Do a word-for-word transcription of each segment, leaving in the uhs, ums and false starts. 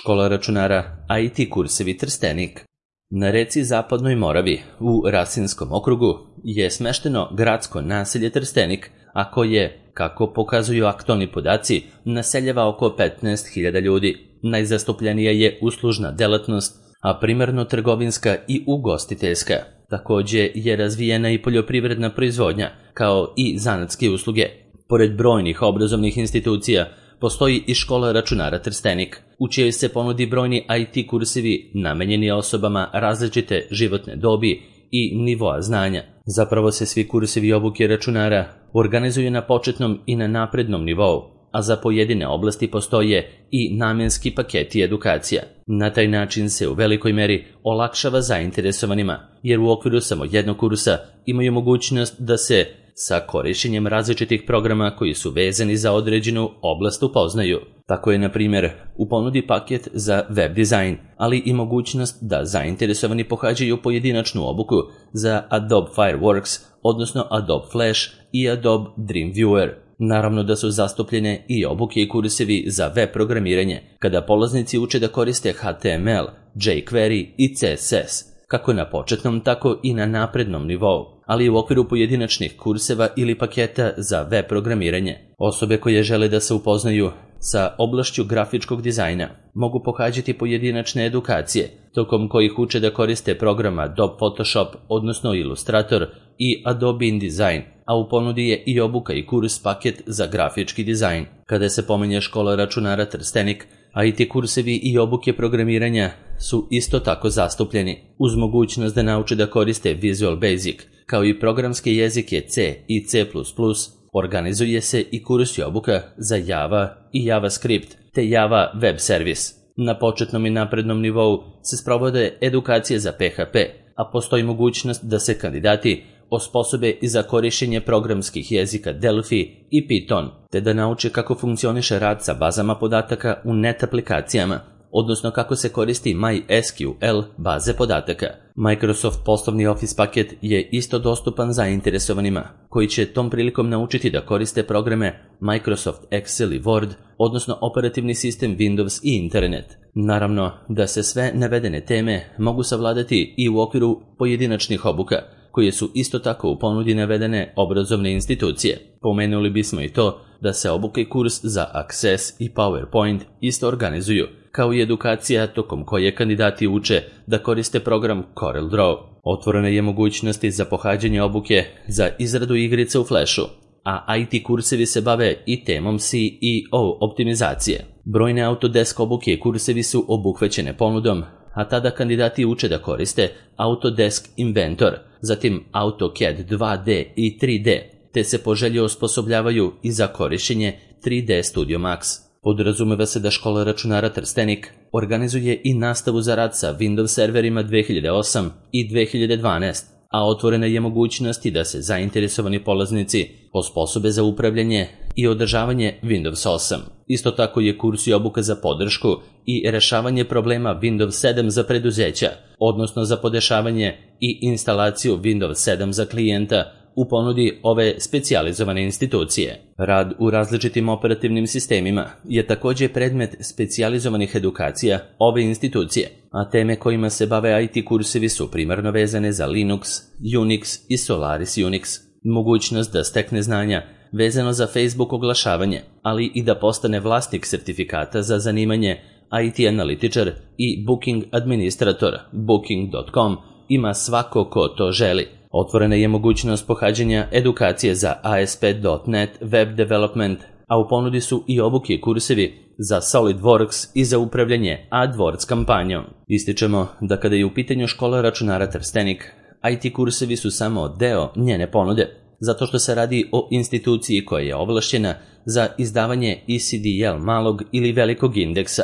Škola računara I T kursevi Trstenik. Na reci Zapadnoj Moravi, u Rasinskom okrugu, je smešteno gradsko naselje Trstenik, a koje, kako pokazuju aktualni podaci, naseljava oko petnaest hiljada ljudi. Najzastupljenija je uslužna delatnost, a primarno trgovinska i ugostiteljska. Takođe je razvijena i poljoprivredna proizvodnja, kao i zanatske usluge. Pored brojnih obrazovnih institucija, postoji i škola računara Trstenik, u čijoj se ponudi brojni I T kursevi namenjeni osobama različite životne dobi i nivoa znanja. Zapravo se svi kursevi obuke računara organizuju na početnom i na naprednom nivou, a za pojedine oblasti postoje i namenski paketi edukacija. Na taj način se u velikoj meri olakšava zainteresovanima, jer u okviru samo jednog kursa imaju mogućnost da se sa korišćenjem različitih programa koji su vezani za određenu oblast upoznaju. Tako je, na primjer, u ponudi paket za web dizajn, ali i mogućnost da zainteresovani pohađaju pojedinačnu obuku za Adobe Fireworks, odnosno Adobe Flash i Adobe Dreamweaver. Naravno da su zastupljene i obuke i kursevi za web programiranje, kada polaznici uče da koriste H T M L, jQuery i C S S, kako na početnom, tako i na naprednom nivou, ali i u okviru pojedinačnih kurseva ili paketa za web programiranje. Osobe koje žele da se upoznaju sa oblašću grafičkog dizajna mogu pohađati pojedinačne edukacije, tokom kojih uče da koriste program Adobe Photoshop, odnosno Illustrator i Adobe InDesign, a u ponudi je i obuka i kurs paket za grafički dizajn. Kada se pominje škola računara Trstenik, I T kursevi i obuke programiranja su isto tako zastupljeni, uz mogućnost da nauče da koriste Visual Basic, kao i programske jezike C i C plus plus. Organizuje se i kurs i obuka za Java i JavaScript, te Java Web Service. Na početnom i naprednom nivou se sprovode edukacije za P H P, a postoji mogućnost da se kandidati osposobe i za korišćenje programskih jezika Delphi i Python, te da nauče kako funkcioniše rad sa bazama podataka u net aplikacijama, odnosno kako se koristi MySQL baze podataka. Microsoft poslovni Office paket je isto dostupan zainteresovanima, koji će tom prilikom naučiti da koriste programe Microsoft Excel i Word, odnosno operativni sistem Windows i internet. Naravno da se sve navedene teme mogu savladati i u okviru pojedinačnih obuka, koje su isto tako u ponudi navedene obrazovne institucije. Pomenuli bismo i to da se obuka i kurs za Access i PowerPoint isto organizuju, kao i edukacija tokom koje kandidati uče da koriste program CorelDRAW. Otvorena je mogućnost za pohađanje obuke za izradu igrica u Flashu, a I T kursevi se bave i temom C E O optimizacije. Brojne Autodesk obuke i kursevi su obuhvaćene ponudom, a tada kandidati uče da koriste Autodesk Inventor, zatim AutoCAD dva D i tri D, te se po želji osposobljavaju i za korišćenje tri D Studio Max. Podrazumeva se da škola računara Trstenik organizuje i nastavu za rad sa Windows serverima dve hiljade osam i dve hiljade dvanaest, a otvorena je mogućnost i da se zainteresovani polaznici osposobe za upravljanje i održavanje Windows osam. Isto tako je kurs i obuka za podršku i rešavanje problema Windows sedam za preduzeća, odnosno za podešavanje i instalaciju Windows sedam za klijenta u ponudi ove specijalizovane institucije. Rad u različitim operativnim sistemima je također predmet specijalizovanih edukacija ove institucije, a teme kojima se bave I T kursevi su primarno vezane za Linux, Unix i Solaris Unix. Mogućnost da stekne znanja vezano za Facebook oglašavanje, ali i da postane vlasnik sertifikata za zanimanje I T analitičar i Booking administrator booking dot com ima svako ko to želi. Otvorena je mogućnost pohađanja edukacije za A S P dot net Web Development, a u ponudi su i obuke i kursevi za SolidWorks i za upravljanje AdWords kampanjom. Ističemo da kada je u pitanju škola računara Trstenik, I T kursevi su samo deo njene ponude, zato što se radi o instituciji koja je ovlašćena za izdavanje E C D L malog ili velikog indeksa,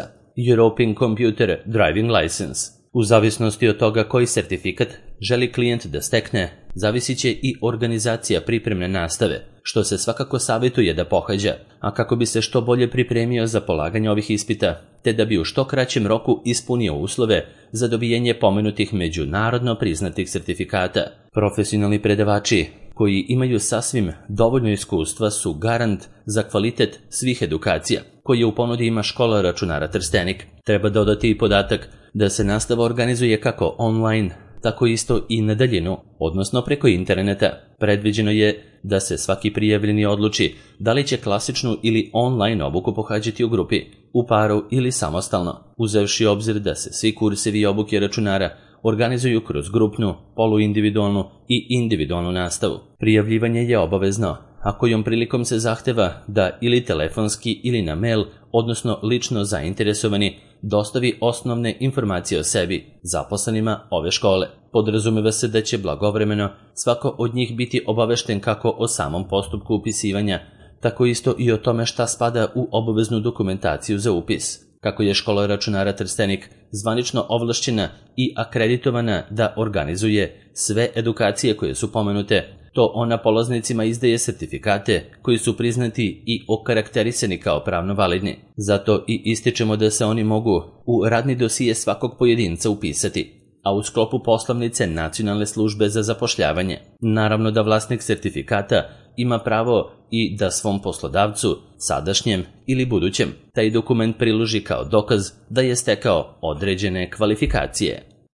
European Computer Driving License. U zavisnosti od toga koji sertifikat želi klijent da stekne, zavisit će i organizacija pripremne nastave, što se svakako savjetuje da pohađa, a kako bi se što bolje pripremio za polaganje ovih ispita, te da bi u što kraćem roku ispunio uslove za dobijenje pomenutih međunarodno priznatih sertifikata. Profesionalni predavači koji imaju sasvim dovoljno iskustva su garant za kvalitet svih edukacija koje u ponudi ima škola računara Trstenik. Treba dodati i podatak da se nastava organizuje kako online, tako isto i na daljinu, odnosno preko interneta. Predviđeno je da se svaki prijavljeni odluči da li će klasičnu ili online obuku pohađati u grupi, u paru ili samostalno, uzevši obzir da se svi kursevi obuke računara organizuju kroz grupnu, poluindividualnu i individualnu nastavu. Prijavljivanje je obavezno, a kojom prilikom se zahteva da ili telefonski ili na mail, odnosno lično zainteresovani, dostavi osnovne informacije o sebi, zaposlenima ove škole. Podrazumeva se da će blagovremeno svako od njih biti obavešten kako o samom postupku upisivanja, tako isto i o tome šta spada u obaveznu dokumentaciju za upis. Kako je škola računara Trstenik zvanično ovlašćena i akreditovana da organizuje sve edukacije koje su pomenute, to ona polaznicima izdaje sertifikate koji su priznati i okarakterisani kao pravno validni. Zato i ističemo da se oni mogu u radni dosije svakog pojedinca upisati, a u sklopu poslovnice Nacionalne službe za zapošljavanje. Naravno da vlasnik sertifikata ima pravo i da svom poslodavcu, sadašnjem ili budućem, taj dokument priloži kao dokaz da je stekao određene kvalifikacije.